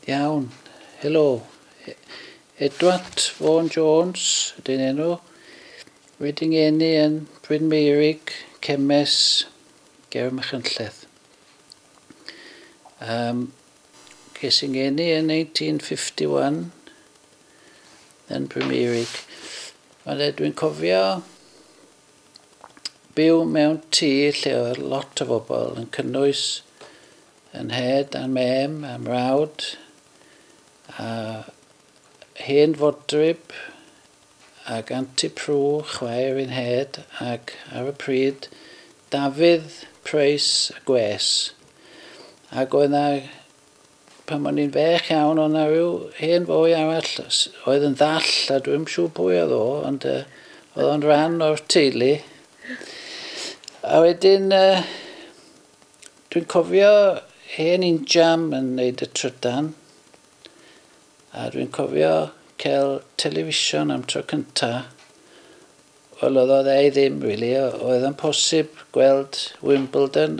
Iawn. Helo. Edward Vaughan Jones ydy'n enw. Wedi ngeni yn Bryn Meurig, Cemes, ger Machynlleth. Ces i ngeni yn 1951 yn Bryn Meurig. Dwi'n cofio byw mewn tŷ lle oedd lot o bobl yn cynnwys yn nhed a'n mem a'n mrawd a hen fodryb ac Auntie Prue, chwaer i'n nhed, ac ar y pryd Dafydd Price a Gwes. Ac oedd na, pan o'n i'n fech iawn, oedd na rhyw hen foi arall oedd yn ddall, a dwi'm siŵr pwy oedd o, ond oedd o'n rhan o'r teulu. A wedyn, dwi'n cofio hen injam yn neud y trydan, a dwi'n cofio cael television am tro cynta. Wel, oedd o dde i ddim, really. Oedd yn posib gweld Wimbledon.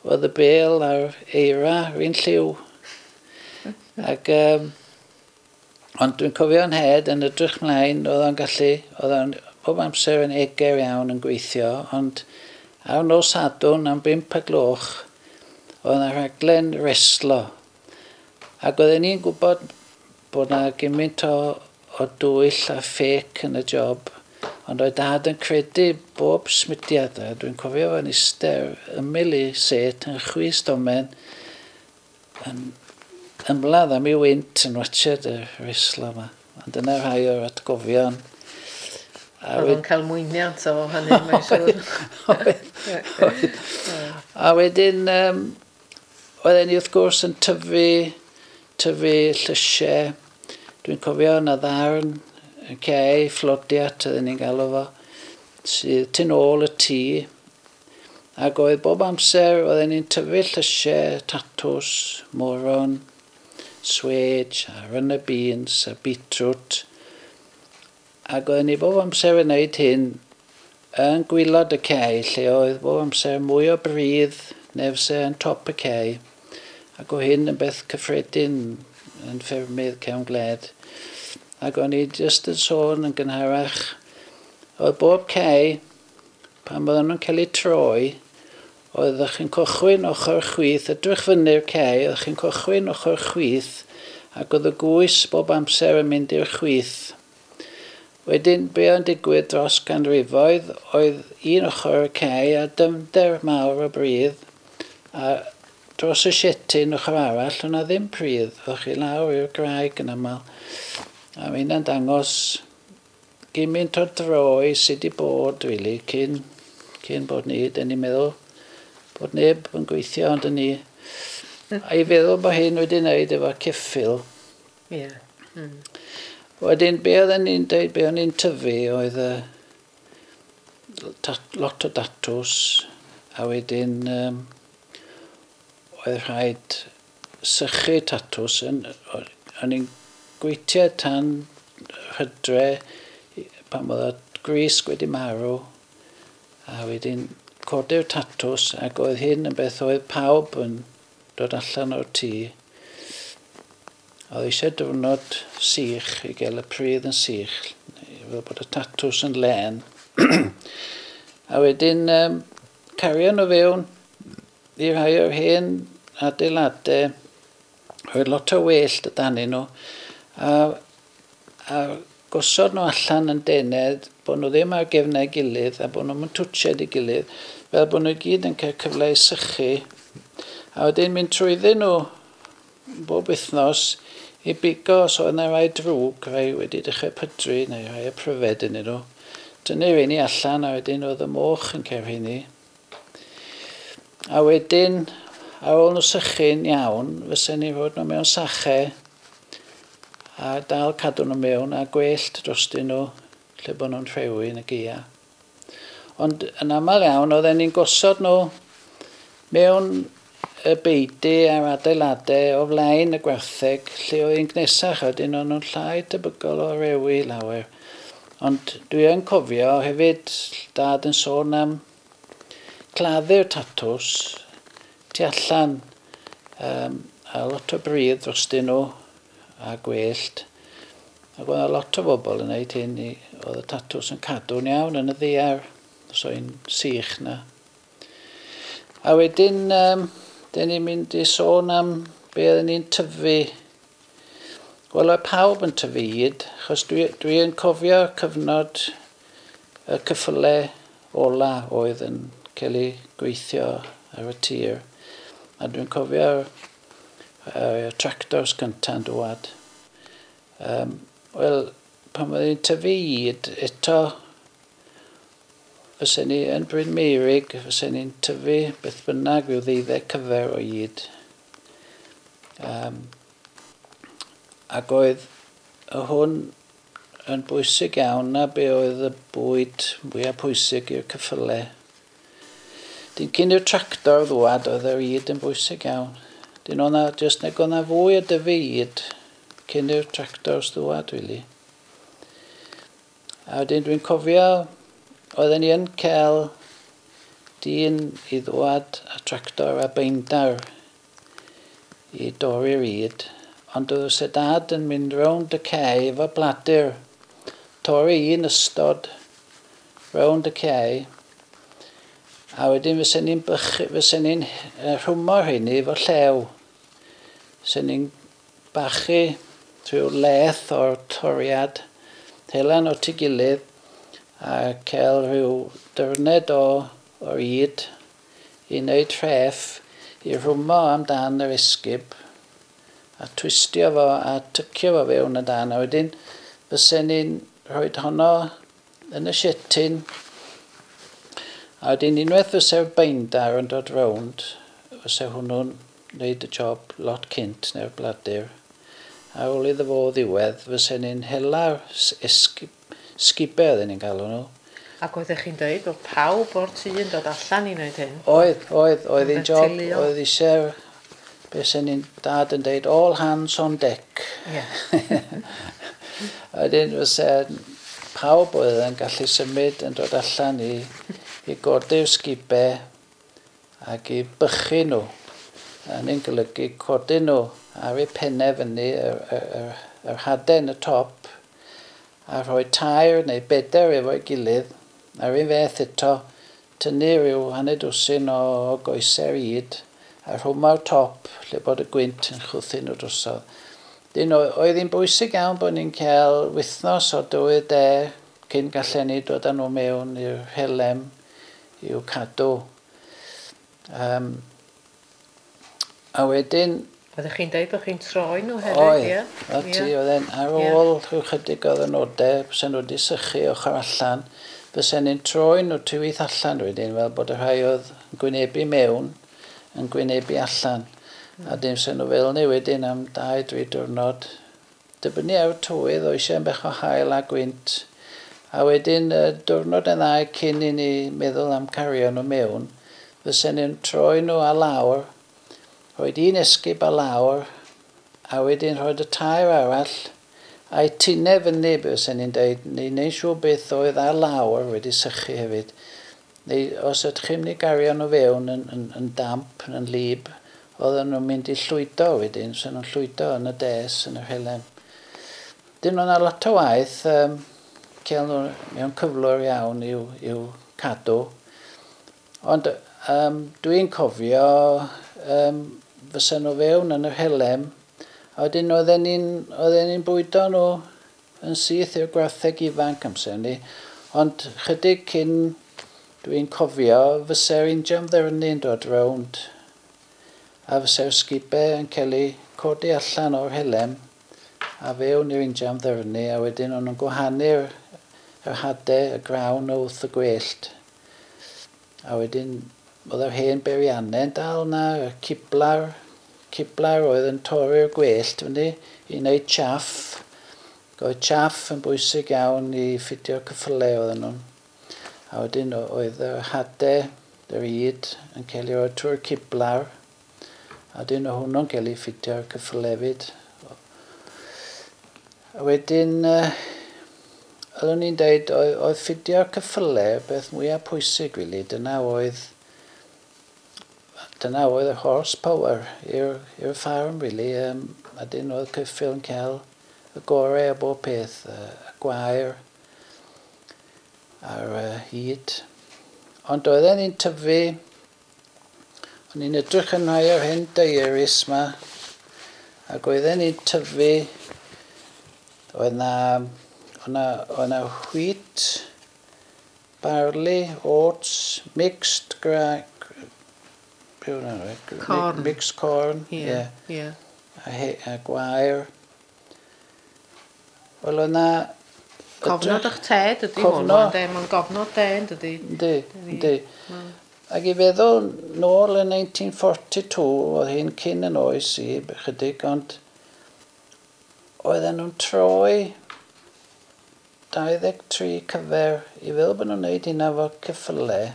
Oedd y bêl a'r eira r'un lliw. Ac, ond dwi'n cofio yn nhed yn edrych mlaen, oedd o'n gallu, oedd o'n bob amser yn eger iawn yn gweithio, ond ar nos Sadwrn am 5 y gloch, oedd yna rhaglen reslo. Ac oedden ni'n gwybod bod na gymaint o dwyll a ffêc yn y job, ond oedd dad yn credu bob symudiad, a dwi'n cofio fo'n eistedd ymyl i sêt yn chwys domen, yn ymladd am ei wynt yn watched y reslo yma. Ond dyna rhai o'r atgofion. Oedd o'n cael mwyniant o hynny, mae'n siŵr. Oedd. A wedyn, oedden ni wrth gwrs yn tyfu llysiau. Dwi'n cofio yna ddarn yn cae, fflodiat oedden ni'n galw fo, sydd tu nôl y tŷ. Ac oedd bob amser, oedden ni'n tyfu llysiau, tatws, moron, swêj, a runner beans, a beetroot. Ac oedden ni bob amser yn gwneud hyn yn gwaelod y cae, lle oedd bob amser mwy o bridd neu fyse yn top y cae. Ac o hyn yn beth cyffredin yn ffermydd cefn gwled. Ac o'n i jyst yn sôn yn gynharach, oedd bob cae, pan oedden nhw'n cael eu troi, oeddech chi'n cychwyn ochr chwith, edrych fyny'r cae, oeddech chi'n cychwyn ochr chwith, ac oedd y gwys bob amser yn mynd i'r chwith. Wedyn, be oedd yn digwydd dros ganrifoedd, oedd un ochr y cae a dyfnder mawr o bridd, a dros y sietyn ochr arall, o'na ddim pridd, o'ch chi lawr i'r graig yn aml. A mae hynna'n dangos gymaint o droi sydd wedi bod, really, cyn bod ni, dyn ni'n meddwl bod neb yn gweithio ond ni. A i feddwl bod hyn wedi wneud efo ceffyl. Wedyn, be oedden ni'n dweud, be o'n ni'n tyfu oedd lot o datws, a wedyn oedd rhaid sychu tatws. O'n i'n gweithio tan hydre pan oedd y grisg wedi marw, a wedyn codi'r tatws, ac oedd hyn yn beth oedd pawb yn dod allan o'r tŷ. Oedd eisiau diwrnod sych i gael y pridd yn sych, fel bod y tatws yn len. A wedyn cario nhw fewn i rhai o'r hen adeiladau, roedd lot o wellt o danyn nhw, a gosod nhw allan yn dened, bod nhw ddim ar gefnau gilydd a bod nhw'n twtsiad i gilydd, fel bod nhw i gyd yn cael cyfle i sychu. A wedyn mynd trwyddyn nhw bob wythnos i bigo os oedd yna rai drwg, rai wedi dechrau pydru neu rai y pryfed yn nhw. Dynnu rheini allan a wedyn oedd y moch yn cael rheini. A wedyn, ar ôl nhw sychu'n iawn, fysen ni rhoi nhw mewn sachau a dal cadw nhw mewn a gwellt drostyn nhw lle bod nhw'n rhewi yn y gaea. Ond yn aml iawn, oedden ni'n gosod nhw mewn y beudy a'r adeiladau o flaen y gwartheg lle oedd hi'n gnesach, a wedyn o'n nhw'n llai tebygol o rewi lawer. Ond dwi yn cofio hefyd dad yn sôn am claddu'r tatws tu allan. a lot o bridd drostyn nhw a gwellt. Ac oedd lot o bobl yn gwneud hyn, oedd y tatws yn cadw'n iawn yn y ddiar, os oedd hi'n sych na. A wedyn, dyn ni'n mynd i sôn am be oedden ni'n tyfu. Wel, oedd pawb yn tyfu yd, achos dwi yn cofio cyfnod y cyffyle ola oedd yn cael ei gweithio ar y tir. A dwi'n cofio'r tractors cynta'n dŵad. Wel, pan oedden ni'n tyfu yd, eto fysen ni yn Bryn Meirig, fysen ni'n tyfu beth bynnag rhyw 12 cyfer o yd. Ac oedd y hwn yn bwysig iawn na be oedd y bwyd mwyaf pwysig i'r cyffyle. Dyn cyn i'r tractor ddwad oedd yr yd yn bwysig iawn. Dyn o'na, jyst nag o'na fwy o dyfu yd cyn i'r tractors ddwad, really. A wedyn dwi'n cofio oedden ni yn cael dyn i ddwad a tractor a beindar i dorri'r yd, ond oedd y dad yn mynd rownd y cae efo bladur, torri un ystod rownd y cae, a wedyn fysen ni'n rhwmo rheini efo llew. Fysen ni'n bachu trwy leth o'r toriad, helan o'r ei gilydd, a cael rhyw dyrned o'r yd i wneud rhef i rhwmo amdan yr esgib a twistio fo a tycio fo fewn y dan. A wedyn fysen ni'n rhoi honno yn y shetyn. A wedyn unwaith fyse'r beindar yn dod rownd, fyse hwnnw'n wneud y job lot cynt neu'r bladur. Ar ôl iddo fo ddiwedd, fysen ni'n hela'r sgibau oedden ni'n galw nhw. Ac oeddech chi'n dweud bod pawb o'r tŷ yn dod allan i wneud hyn? Oedd hi'n job, oedd eisiau, beth sy'n ni'n dad yn dweud, all hands on deck. Yeah. A wedyn fyse pawb oedd yn gallu symud yn dod allan i godi'r sgibau ac i bychu nhw. A ni'n golygu codi nhw ar eu pennau fyny, yr hadau yn y top, a rhoi 3 neu 4 efo'i gilydd, a'r un fath eto, tynnu rhyw 6 o goesau'r yd, a rhwmo'r top lle bod y gwynt yn chwythu nhw drosodd. Dyn oedd hi'n bwysig iawn bod ni'n cael wythnos o dywydd de cyn gallen ni dod â nhw mewn i'r helem i'w cadw. A wedyn... Oeddech chi'n dweud bod chi'n troi nhw hefyd, ie? Oedd, ti, oedd e'n ar ôl rhyw chydig o ddynodau, fysen nhw wedi sychu ochr allan, fysen ni'n troi nhw tywydd allan wedyn, fel bod y rhai oedd yn gwynebu mewn yn gwynebu allan. A dim fysen nhw fel ni wedyn am 2-3 diwrnod. Dibynnu ar y tywydd, oedd eisiau bach o haul a gwynt. A wedyn diwrnod yn ddau cyn i ni meddwl am cario nhw mewn, fysen ni'n troi nhw ar lawr, rhoid un esgib ar lawr, a wedyn rhoid y 3 arall, a'i tinau fyny, fysen ni'n dweud, ni'n neud siŵr beth oedd ar lawr wedi sychu hefyd. Neu os ydych chi'n mynd i gario nhw fewn yn damp, yn lib, oedden nhw'n mynd i llwydo wedyn, fysen nhw'n llwydo yn y des, yn yr helem. Dyn nhw'n lot o waith, cael nhw mewn cyflwr iawn i'w cadw. Ond dwi'n cofio fysen nhw fewn yn yr helem, a wedyn oedden ni'n bwydo nhw yn syth i'r gwartheg ifanc amser ni. Ond chydig cyn dwi'n cofio, fyse'r injan ddyrnu'n dod rownd, a fyse'r sgibau yn cael eu codi allan o'r helem, a fewn i'r injan ddyrnu, a wedyn o'n nhw'n gwahanu'r hadau, y grawn wrth y gwellt. A wedyn oedd yr hen beiriannau'n dal na, y ciblar oedd yn torri'r gwellt fyny i wneud chaff. Oedd chaff yn bwysig iawn i ffitio'r cyffyle oedden nhw. A wedyn oedd yr hadau, yr yd, yn cael ei roi trwy'r ciblar. A wedyn oedd hwnnw'n cael ei ffitio'r cyffyle hefyd. A wedyn, oeddwn ni'n dweud, oedd ffitio'r cyffyle beth mwyaf pwysig, really. Dyna oedd Dyna oedd y horsepower i'r ffarm, really. A dyn oedd ceffyl yn cael y gorau o bob peth, y gwair a'r hyd. Ond oedden ni'n tyfu, o'n i'n edrych yn rhai o'r hen diaries ma, ac oedden ni'n tyfu, oedd na wheat, barley, oats, mixed gra... Be oedd hwnna? Corn. Mixed corn, ie. Ie. Ie. A gwair. Wel, oedd na... Cofnod o'ch ted ydy hwn, Cofnod. ynde? Mae'n gofnod de, yn dydy? Yndi, yndi. Ac i feddwl nôl yn 1942, oedd hi'n cyn yn oes i, chydig, ond oedden nhw'n troi 23 cyfer i feddwl bod nhw'n neud hynna efo ceffylau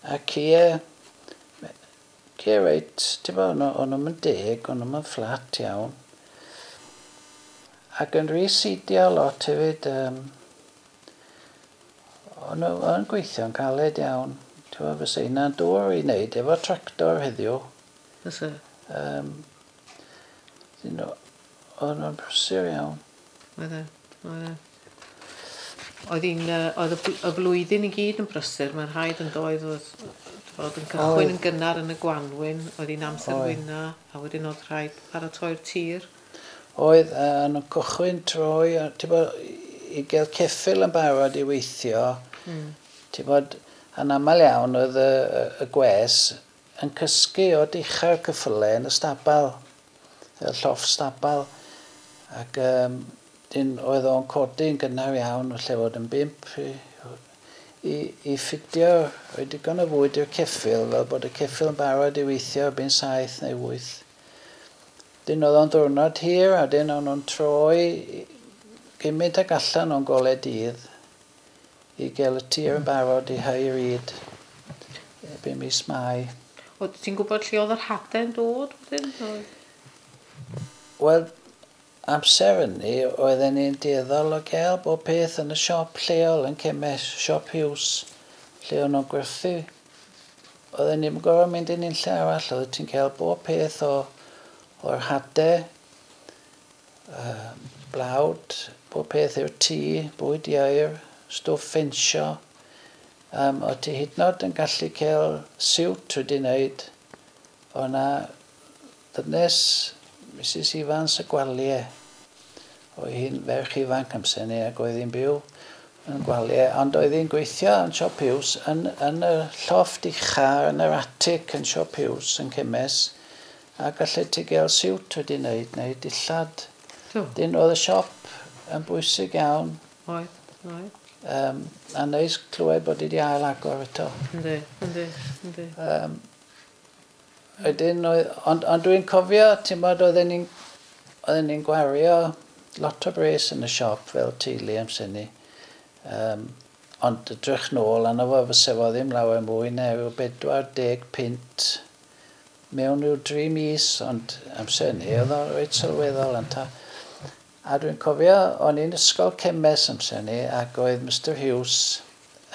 a cie reit, ti'n bod, o'n nhw'n deg, o'n nhw'n fflat iawn. Ac yn residio lot hefyd, o'n nhw'n gweithio'n caled iawn. Ti'n bod, fysa hynna'n dŵr i wneud efo tractor heddiw. Fysa. O'n nhw'n brysur iawn. Oedd e, oedd e. Oedd hi'n, oedd y flwyddyn i gyd yn brysur, mae'n rhaid yn doedd, oedd fod yn cychwyn yn gynnar yn y gwanwyn, oedd hi'n amser wyna, a wedyn oedd rhaid paratoi'r tir. Oedd, yn cychwyn troi, ti'n bod, i gael ceffyl yn barod i weithio, ti'n bod, yn aml iawn oedd y gwes yn cysgu o dicha'r ceffylau yn y stabal, y llofft stabal, ac dyn, oedd o'n codi yn gynnar iawn, lle fod yn 5 i ffidio, rhoi digon o fwyd i'r ceffyl, fel bod y ceffyl yn barod i weithio erbyn 7 neu 8. Dyn oedd o'n ddwrnod hir, a dyn o'n nhw'n troi gymaint ag allan o'n golau dydd i gael y tir yn barod i hau'r ŷd erbyn mis Mai. O, ti'n gwybod lle oedd yr hadau'n dod wedyn? Wel, amser hynny, oedden ni'n dueddol o gael bob peth yn y siop lleol yn Cemes, siop Hughes, lle o'n nhw'n gwerthu. Oedden ni'n gorfod mynd yn unlle arall, oedd ti'n cael bob peth o'r hadau, blawd, bob peth i'r tŷ, bwyd ieir, stwff ffensio. O ti hyd yn oed yn gallu cael siwt wedi wneud. O na ddynes Mrs Evans y Gwaliau. Oedd hi'n ferch ifanc amser ni ac oedd hi'n byw yn Gwaliau, ond oedd hi'n gweithio yn Siop Hughes yn y llofft ucha yn yr atic yn Siop Hughes yn Cemes a gallu ti gael siwt wedi wneud neu dillad. Dyn oedd y siop yn bwysig iawn. Oedd, oedd. A neis clywed bod wedi ail agor eto. Yndi, yndi, yndi. Wedyn, ond dwi'n cofio, ti'n bod, oedden ni'n gwario lot o bres yn y siop fel teulu amser ni. Ond edrych nôl arno fo, fysa fo ddim lawer mwy na rhyw 40 punt mewn rhyw 3 mis, ond amser ni oedd o'n reit sylweddol ynta. A dwi'n cofio, o'n i'n ysgol Cemes amser ni, ac oedd Mr Hughes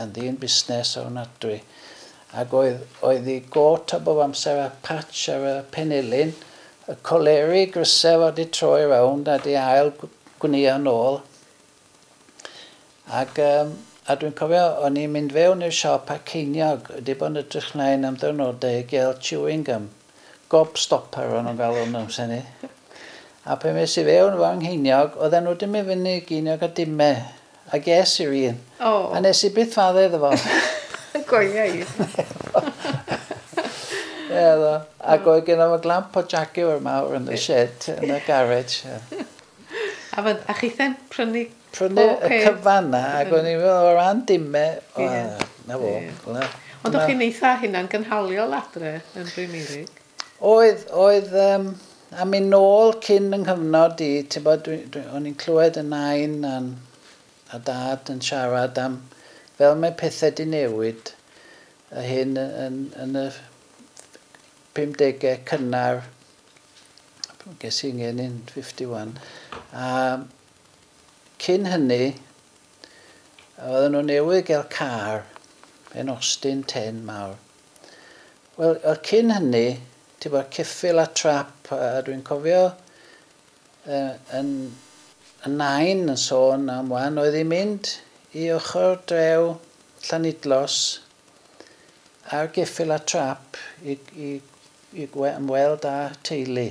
yn ddyn busnes ofnadwy. Ac oedd ei got o bob amser a patch ar y penelin, y coleri grysau wedi troi rownd a di ail gwnio nôl. Ac a dwi'n cofio, o'n i'n mynd fewn i'r siop a ceiniog, wedi bod yn edrych mlaen am ddwrnodau i gael chewing gum. Gobstopper o'n nhw'n galw nhw amser ni. A pan mes i fewn efo ngheiniog, oedden nhw wedi mynd fyny geiniog a dime. A ges i'r un. A nes i byth fadde iddo fo. Goia i. Ie, ddo. Ac oedd gen fo glamp o Jaguar mawr yn y shed, yn y garage. Ie. A chitha'n prynu Prynu pob y peth. cyfan na, ac o'n i'n meddwl o ran dime, o, na fo. Ond o'ch chi'n eitha hynna'n gynhaliol adre yn Bryn Meurig? Oedd, a mynd nôl cyn yng nghyfnod i, ti'n bod, o'n i'n clywed y nain a dad yn siarad am fel mae pethau di newid, y hyn yn y 50au cynnar, ges i'n ngeni'n 51, a cyn hynny, oedden nhw newydd gael car, yn Austin 10 mawr. Wel, cyn hynny, ti'n bod, ceffyl a trap, a dwi'n cofio yn y nain yn sôn am wan, oedd hi'n mynd i ochr drew Llanidloes ar geffyl a trap i ymweld â teulu.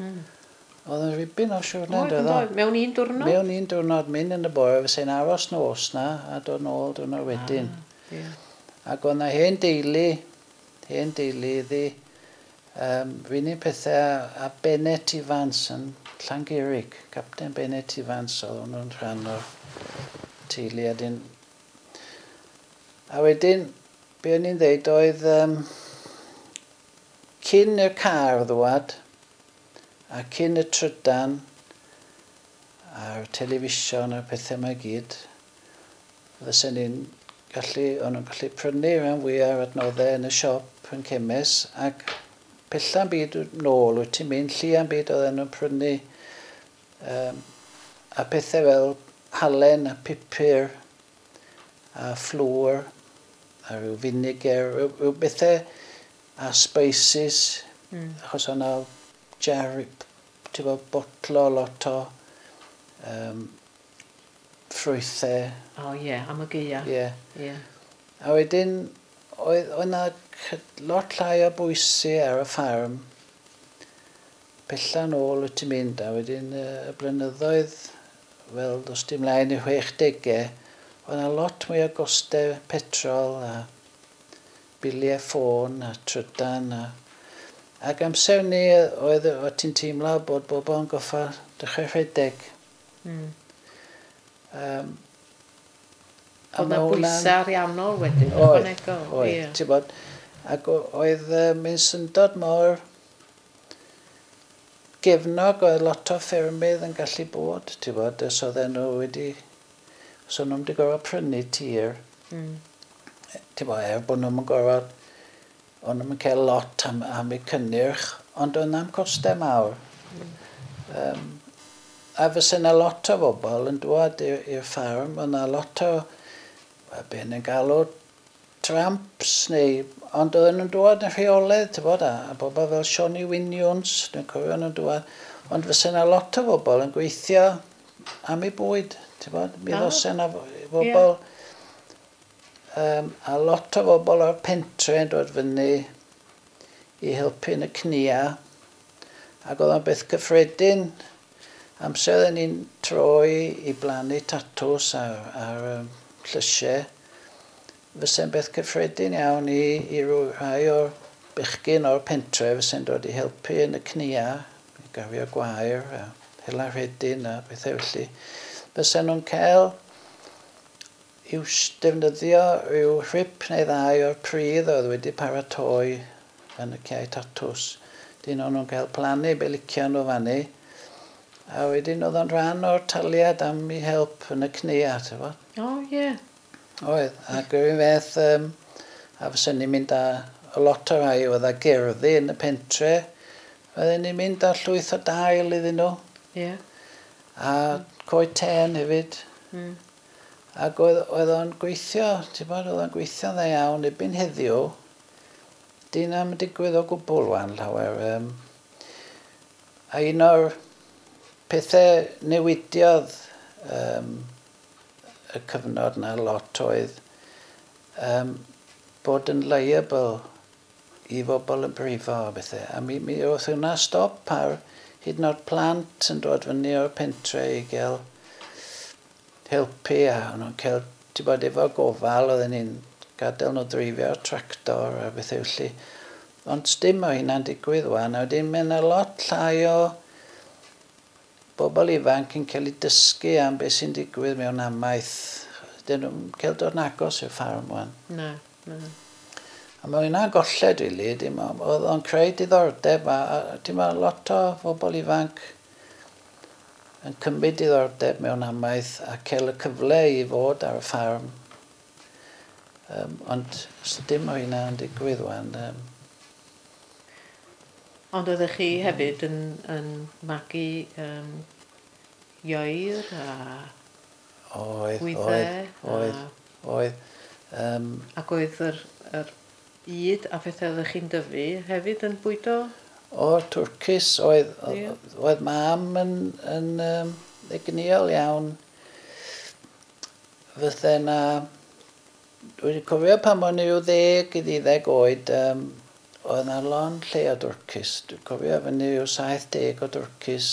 Oedd yn ribyn o siwrne, doedd o? Mewn un diwrnod? Mewn un diwrnod, mynd yn y bore, fysa'n aros nos na a dod nôl diwrnod wedyn. Ah, yeah. Ac oedd na hen deulu iddi, r'un un pethau a Bennett Evans yn Llangurig. Captain Bennett Evans oedd hwnnw'n rhan o'r teulu. A wedyn, be o'n i'n dweud oedd cyn y car ddwad a cyn y trydan a'r television a'r pethau yma i gyd, fysen ni'n gallu, o'n nhw'n gallu prynu rhan fwyaf o'r adnoddau yn y siop yn Cemes, ac pella'n byd nôl wyt ti'n mynd, llia'n byd oedden nhw'n prynu a pethau fel halen a pupur a flour a rhyw vinegar, rhyw bethau a spices, achos o'na jar, ti'n bod, botlo lot o ffrwythau. O ie, yeah, am y gaea. Ie. Yeah. A wedyn, oedd 'na lot llai o bwysau ar y ffarm. Pella nôl wyt ti'n mynd, a wedyn y blynyddoedd, fel dos di mlaen i'r 60au, oedd 'na lot mwy o gostau petrol a biliau ffôn a trydan a ac amser ni oedd ti'n teimlo bod bobl yn goffa dechrau rhedeg. Oedd 'na bwysau ariannol wedyn, Oedd, ychwanegol. Oedd, ti'n bod, ac oedd mae'n syndod mor gefnog oedd lot o ffermydd yn gallu bod, ti'n bod, os oedden nhw wedi, os o'n nhw'n wedi gorfod prynu tir, ti'n bod, er bod nhw'n gorfod, o'n nhw'n cael lot am eu cynnyrch, ond oedd na'm costau mawr. A fysa yna lot o bobl yn dŵad i'r ffarm, oedd yna lot o, wel, be ni'n galw tramps neu, ond oedden nhw'n dŵad yn rheolaidd, ti'n bod, a bobl fel Johnny Wyn Jones, dwi'n cofio nhw'n dŵad, ond fysa yna lot o bobl yn gweithio am eu bwyd, ti'n bod, mi ddosa yna bobl, a lot o bobl o'r pentre yn dod fyny i helpu yn y cnia, ac oedd o'n beth cyffredin. Amser oedden ni'n troi i blannu tatws ar llysiau, fysa'n beth cyffredin iawn i rhai o'r bechgyn o'r pentre fysa'n dod i helpu yn y cnia, i gario gwair a hela rhedyn a bethau felly. Fysa nhw'n cael i'w defnyddio rhyw rhip neu ddau o'r pridd oedd wedi paratoi yn y cae tatws. Dyn o'n nhw'n cael plannu be licio nhw fanny. A wedyn oedd o'n rhan o'r taliad am i help yn y cnia, ti'n bod? O, ie. Oedd, ac yr un fath, a fysen ni'n mynd â a lot o rai oedd â gerddi yn y pentre, oedden ni'n mynd â llwyth o dail iddyn nhw, a coed ten hefyd. Ac oedd o'n gweithio, ti'n bod, oedd o'n gweithio'n dda iawn erbyn heddiw. Di na'm yn digwydd o gwbl wan llawer. A un o'r pethau newidiodd y cyfnod na lot oedd bod yn liable i bobl yn brifo a bethau. A mi oedd hwnna stop ar hyd yn oed plant yn dod fyny o'r pentre i gael helpu a o'n nhw'n cael, ti'n bod, efo gofal, oedden ni'n gadael nhw dreifio'r tractor a bethau felly. Ond dim o hynna'n digwydd wan, a wedyn mae yna lot llai o bobl ifanc yn cael eu dysgu am beth sy'n digwydd mewn amaeth. Dyn nhw'n cael dod yn agos i'r ffarm wan. Na, na. A mae hynna'n golled, rili. Dim oedd o'n creu diddordeb, a dim ond lot o bobl ifanc yn cymryd diddordeb mewn amaeth a cael y cyfle i fod ar y ffarm. Ond dim o hynna'n digwydd wan. Ond oeddech chi hefyd yn magu ieir a Oedd, wyddau oedd, oedd, oedd. Ac oedd yr yd a phethau oeddech chi'n dyfu hefyd yn bwydo? O'r twrcis oedd, yeah. Oedd mam yn egnïol iawn. Fydde na... Dwi'n cofio pan o'n i 10 i 12 oed, oedd na lond lle o dwrcis. Dwi'n cofio fyny rhyw 70 o dwrcis.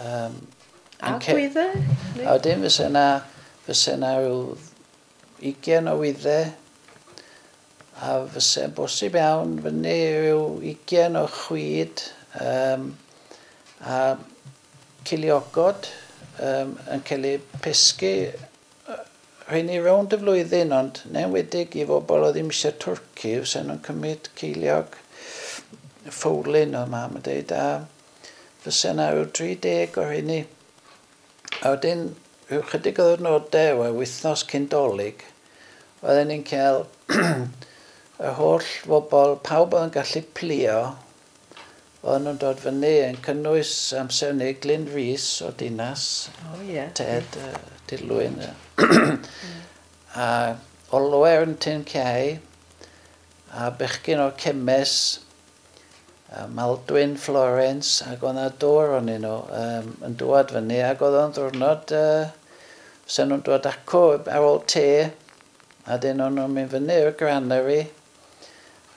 A gwyddau? A wedyn fysa na rhyw 20 o wyddau. A fysa'n bosib iawn fyny rhyw 20 o chwyd a ciliogod yn cael eu pesgu rheini rownd y flwyddyn, ond yn enwedig i bobl oedd ddim eisiau twrci, fysa nhw'n cymryd ceiliog ffowlyn oedd mam yn dweud, a fysa yna rhyw 30 o rheini. A wedyn, rhyw chydig o ddwrnodau, o wythnos cyn Dolig, oedden ni'n cael y holl bobl, pawb oedd yn gallu plio, oedden nhw'n dod fyny yn cynnwys amser ni Glyn Rhys o Dinas, oh, yeah. Ted Dilwyn, a Olwer yn Tyn Cei, a bechgyn o'r Cemes, a Maldwyn, Florence, ac oedd yna dŵr o'n nhw yn dŵad fyny, ac oedd o'n ddwrnod, fysa nhw'n dod acw ar ôl te, a dyn o'n nhw'n mynd fyny i'r granary,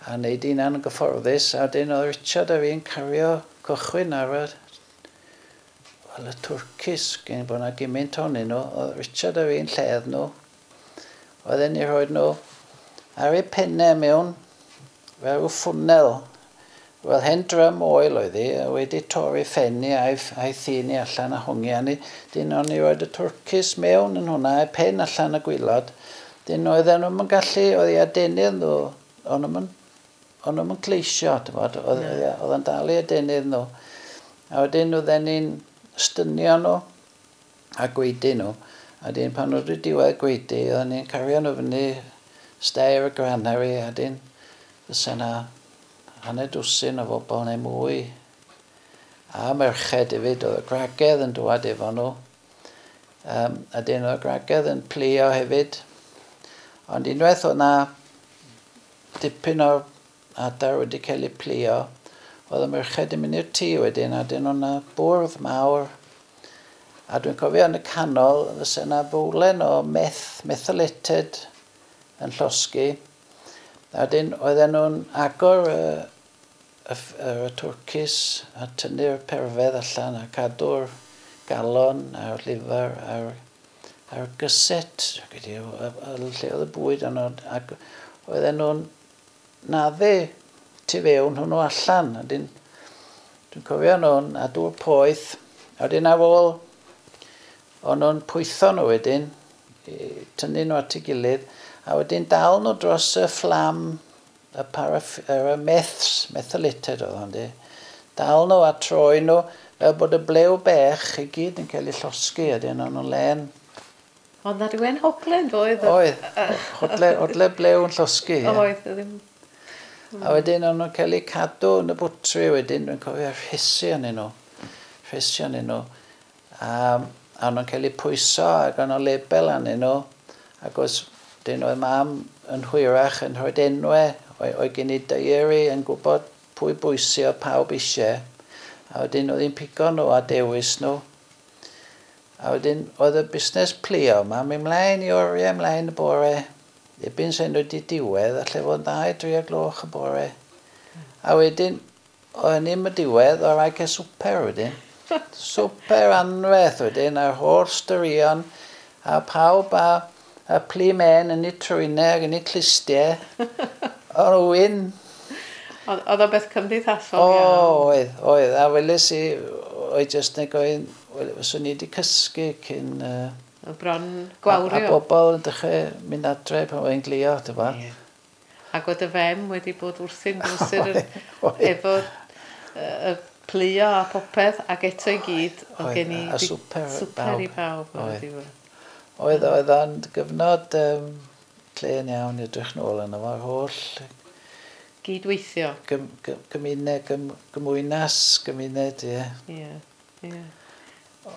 a wneud hunan yn gyfforddus, a dyn oedd Richard a fi'n cario cychwyn ar y, wel, y twrcis, gen bod yna gymaint ohonyn nhw, oedd Richard a fi'n lledd nhw, oedden ni rhoi nhw ar eu pennau mewn, fel rhyw ffwnnel. Wel, hen drum oil oedd hi, a wedi torri ffenni a'i thini allan a hongi arni. Dyn o'n i roed y twrcis mewn yn hwnna, a'i pen allan y gwylod. Dyn oedden nhw'n gallu, oedd i adenydd nhw, o'n nhw'n gleisio, oedd yn dal i adenydd nhw. A wedyn oedden ni'n stynio nhw a gweidi nhw. A dyn pan oedd wedi diwedd gweidi, oedden ni'n cario nhw fyny stair y granary, a dyn fysa yna hanner dwsin o bobl neu mwy. A merched hefyd, oedd y gwragedd yn dŵad efo nhw. A dyn oedd y gwragedd yn plio hefyd. Ond unwaith oedd na dipyn o'r adar wedi cael eu plio, oedd y merched yn mynd i'r tŷ wedyn, a dyn oedd na bwrdd mawr. A dwi'n cofio yn y canol, fysa yna bowlen o methylated yn llosgi. A wedyn oedden nhw'n agor y twrcis a tynnu'r perfedd allan a cadw'r galon a'r lifer a'r gyset, lle oedd y bwyd yno, ac oedden nhw'n naddu tu fewn hwnnw allan. A wedyn, dwi'n cofio nhw'n a dŵr poeth, a wedyn ar ôl, o'n nhw'n pwytho nhw wedyn, tynnu nhw at ei gilydd, a wedyn dal nhw dros y fflam, y meths, methylated oedd hwn di. Dal nhw a troi nhw, fel bod y blew bech i gyd yn cael ei llosgi, a dyn o'n nhw'n len. Oedd na rhywun hoglen, doedd? Oedd, hodle blew yn llosgi. Oedd, ddim. A wedyn o'n nhw'n cael eu cadw yn y bwtri wedyn, dwi'n cofio rhesi arnyn nhw. A o'n nhw'n cael eu pwyso ac o'n nhw label arnyn nhw, ac os dyn oedd mam yn hwyrach yn rhoi enwau, oedd gen i diary yn gwybod pwy bwysio pawb eisiau, a wedyn oedd hi'n pigo nhw a dewis nhw. A wedyn oedd y busnes plio yma, mynd mlaen i oriau, mlaen y bore, ebyn sy'n wedi diwedd, allai fod 2-3 o gloch y bore. A wedyn, oedd ni'n y diwedd, oedd rhaid cael swper wedyn. Swper anferth wedyn, a'r holl straeon, a pawb a plu men yn eu trwynau ac yn eu clustiau. O'n wyn. Oedd o beth cymdeithasol iawn? Oedd, oedd. A weles i, oedd jyst yn gofyn, fyswn i wedi cysgu cyn... O bron gwawrio. A bobl yn dechrau mynd adre pan oedd hi'n glio, ti'n gwbod. Yeah. Ac oedd y fem wedi bod wrthi'n brysur efo y plio a popeth, ac eto i gyd, oedd gen i swper i bawb. Oedd, oedd o'n gyfnod clen iawn i edrych nôl yno fo'r holl... Gydweithio. Gymuned, gymwynas, gymuned, ie. Ie, ie.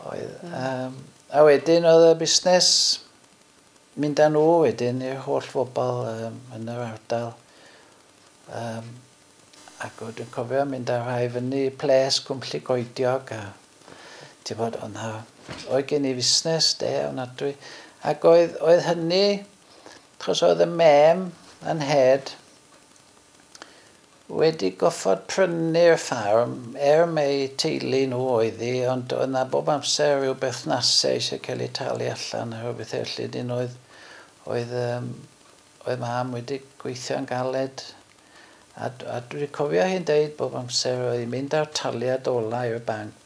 Oedd. A wedyn oedd y busnes mynd â nhw wedyn i'r holl bobl yn yr ardal. Ac dwi'n cofio mynd â rhai fyny ples Cwmlli Goediog a ti'n bod, oedd gen i fusnes de, ofnadwy. Ac oedd hynny, achos oedd y mem yn head wedi goffod prynu'r ffarm, mai teulu nhw oedd hi, ond oedd na bob amser rhyw berthnasau eisiau cael eu talu allan a rhyw bethau felly. Dyn oedd mam wedi gweithio'n galed. A dwi'n cofio hi'n deud bob amser oedd hi'n mynd ar taliad ola i'r banc.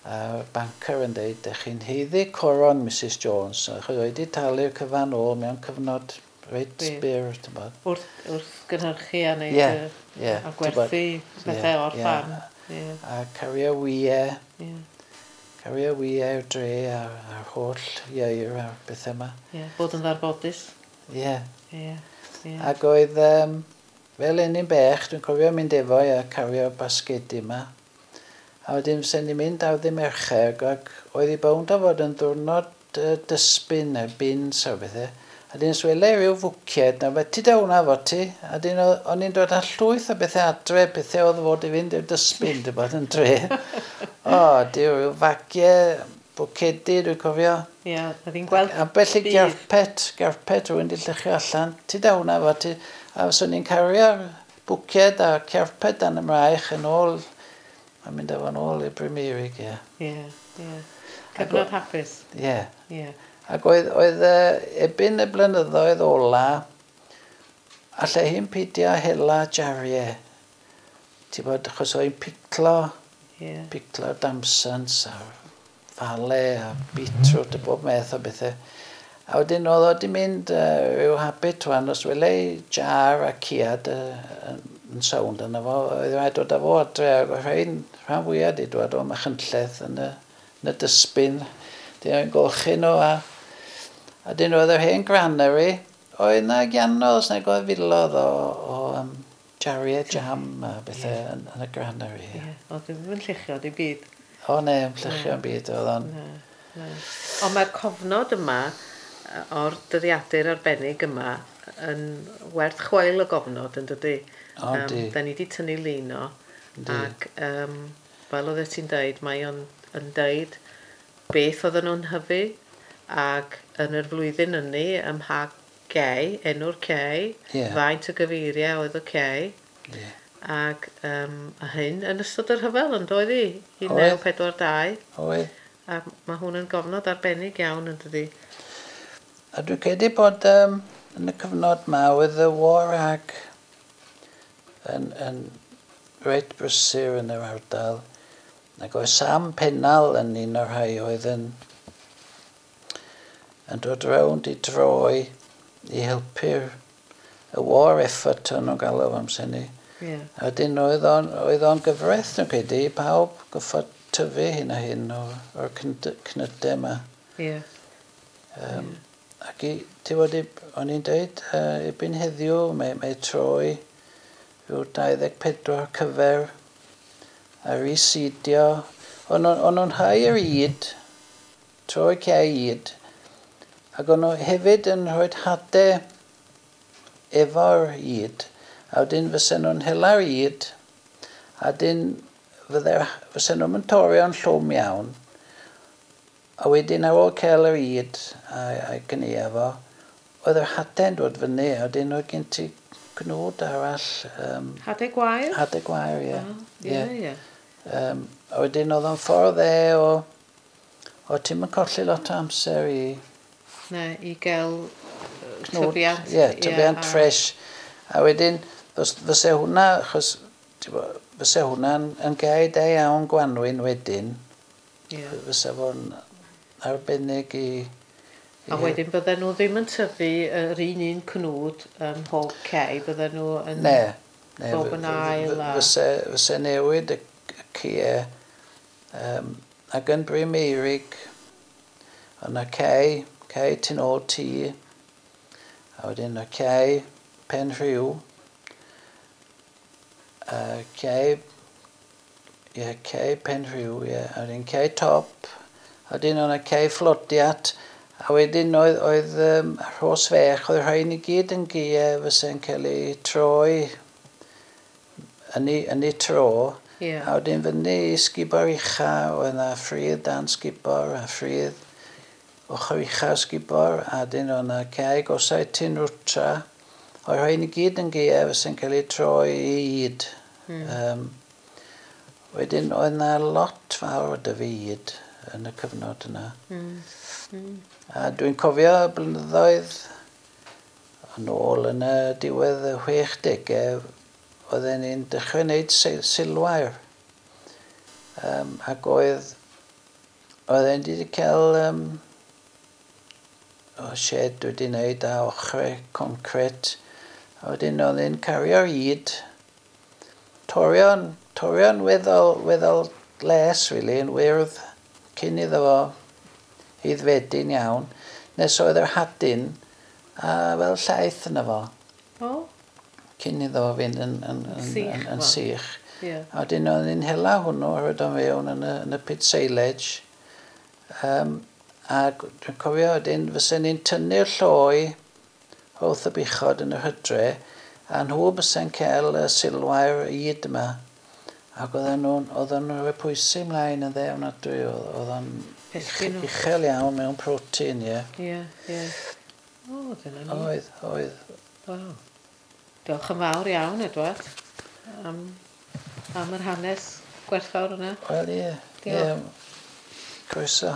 A'r banker yn deud, "Dych chi'n haeddu coron, Mrs Jones," achos oedd wedi talu'r cyfan ôl mewn cyfnod reit byr, ti'n bod. Wrth gynhyrchu a wneud a gwerthu bethau o'r ffarm. A cario wyau, cario wyau i'r dre a'r holl ieir a'r bethau yma. Ie, bod yn ddarbodus. Ie. Yeah. Ac oedd, fel un i'n bech, dwi'n cofio mynd efo i a cario basgedi yma. A wedyn sen ni'n mynd ar ddydd Mercher ac oedd hi bownd o fod yn ddwrnod dysbin neu bins a bethau. A dyn swele rhyw fwcied, na fe, ti da hwnna fo ti? A dyn o'n i'n dod â llwyth o bethau adre, bethau oedd fod i fynd i'r dysbin, dy bod yn dre. O, di rhyw fagiau, bwcedi, dwi'n cofio. Ie, oedd hi'n gweld Ambell i garpet rhywun di lluchio allan. Ti da hwnna fo ti? A swn i'n cario'r bwced a carpet dan y mraich yn ôl, a mynd efo yn ôl i'r Bryn Meurig, ie. Ie. Cyfnod hapus. Ie. Ie. Ac oedd ebyn y blynyddoedd ola, allai hi'n pidio hela jariau. Ti'n bod, achos oedd hi'n piclo, piclo damsons a fale a beetroot a bob math o bethau. A wedyn oedd o wedi mynd rhyw habit wan, os wele jar a ciad yn sownd yna fo, oedd rhaid dod â fo adre, ac oedd rhain rhan fwyaf wedi dod o Machynlleth yn y dysbin. Dyn nhw'n golchi nhw a dyn oedd yr hen granary, oedd na gianodd, os nag oedd filodd o jariau jam a bethau yn y granary. Ie. Oedd ddim yn lluchio dim byd. O ne, yn lluchio yn byd oedd o'n. Na. Ond mae'r cofnod yma o'r dyddiadur arbennig yma yn werth chweil o gofnod yn dydy. O, di. Da ni wedi tynnu lun o. Ac fel oedd ti'n deud, mae o'n yn deud beth oedden nhw'n hyfu ac yn yr flwyddyn ynny ym mha gei, enw'r cei, faint o gyfeiriau oedd y cei. Ac a hyn yn ystod yr rhyfel yn doedd hi? 1942. Oedd. A mae hwn yn gofnod arbennig iawn yn dydi. A dwi'n credu bod yn y cyfnod ma oedd y war ag yn reit brysur yn yr ardal. Ac oedd Sam Pennal yn un o'r rhai oedd yn dod rownd i droi i helpu'r y war effort o'n nhw'n galw amser ni. A wedyn oedd o'n gyfraith, dwi'n credu, i pawb goffod tyfu hyn a hyn o'r cnydau yma. Ac i, ti wedi, o'n i'n dweud, erbyn heddiw mae troi rhyw 24 cyfer a reseedio. O'n nhw'n hau yr ŷd, troi cae ŷd, ac o'n nhw hefyd yn rhoi hadau efo'r ŷd, a wedyn fysen nhw'n hela'r ŷd, a wedyn fysen nhw'n mynd torio'n llwm iawn, a wedyn ar ôl cael yr ŷd a'i gynnu fo, oedd yr hadau'n dod fyny, a wedyn oedd gen ti gnwd arall. Hadau gwair? Hadau gwair, ie. Ie. A wedyn oedd o'n ffordd o ti'n mynd colli lot o amser i... Ne, i gael tyfiant. Ie, tyfiant ffres. A wedyn, fyse hwnna, achos fyse hwnna'n yn gael da iawn gwanwyn wedyn. Fyse fo'n arbennig i... A wedyn bydden nhw ddim yn tyfu yr un cnwd ym mhob cei, bydden nhw yn... Ne. Bob yn ail a... Fyse newid y cie. Ac yn Bryn Meurig, o'na cei tu nôl tŷ, a wedyn y cei Pen Rhiw, a cei Pen Rhiw, ie, a wedyn cei Top, a wedyn o'na cei Flodiat, A wedyn oedd, oedd Rhos Fech, oedd rhain i gyd yn gia fysa'n cael ei troi yn ei tro. A wedyn fyny i sgubor ucha, oedd yna ffridd dan sgubor a ffridd ochr ucha sgubor, a wedyn oedd yna cae gosau Tyn Rwtra. Oedd rhain i gyd yn gia fysa'n cael ei troi i ŷd. Wedyn oedd yna lot fawr o dyfu ŷd yn y cyfnod yna. A dwi'n cofio blynyddoedd yn ôl yn y diwedd y 60au, oedden ni'n dechrau wneud silwair. Ac oedden ni wedi cael o shed wedi wneud a ochrau concret. A wedyn oedd ni'n cario'r ŷd, torion weddol les, really, yn wyrdd cyn iddo fo aeddfedu'n iawn, nes oedd yr hadyn a fel llaeth yna fo. Cyn iddo fo fynd yn sych. A wedyn oedd ni'n hela hwnnw a rhoid o mewn yn y pit silage. A dwi'n cofio wedyn fysen ni'n tynnu'r lloi wrth y buchod yn yr hydre a nhw bysa'n cael y silwair ŷd yma. Ac oedden nhw'n rhoi pwysau ymlaen yn dde ofnadwy, oedd o'n uchel iawn mewn protein, ie. Ie. O, dyna ni. Oedd. Waw. Diolch yn fawr iawn, Edward, am yr hanes gwerthfawr yna. Wel, ie. Diolch. Ie. Croeso.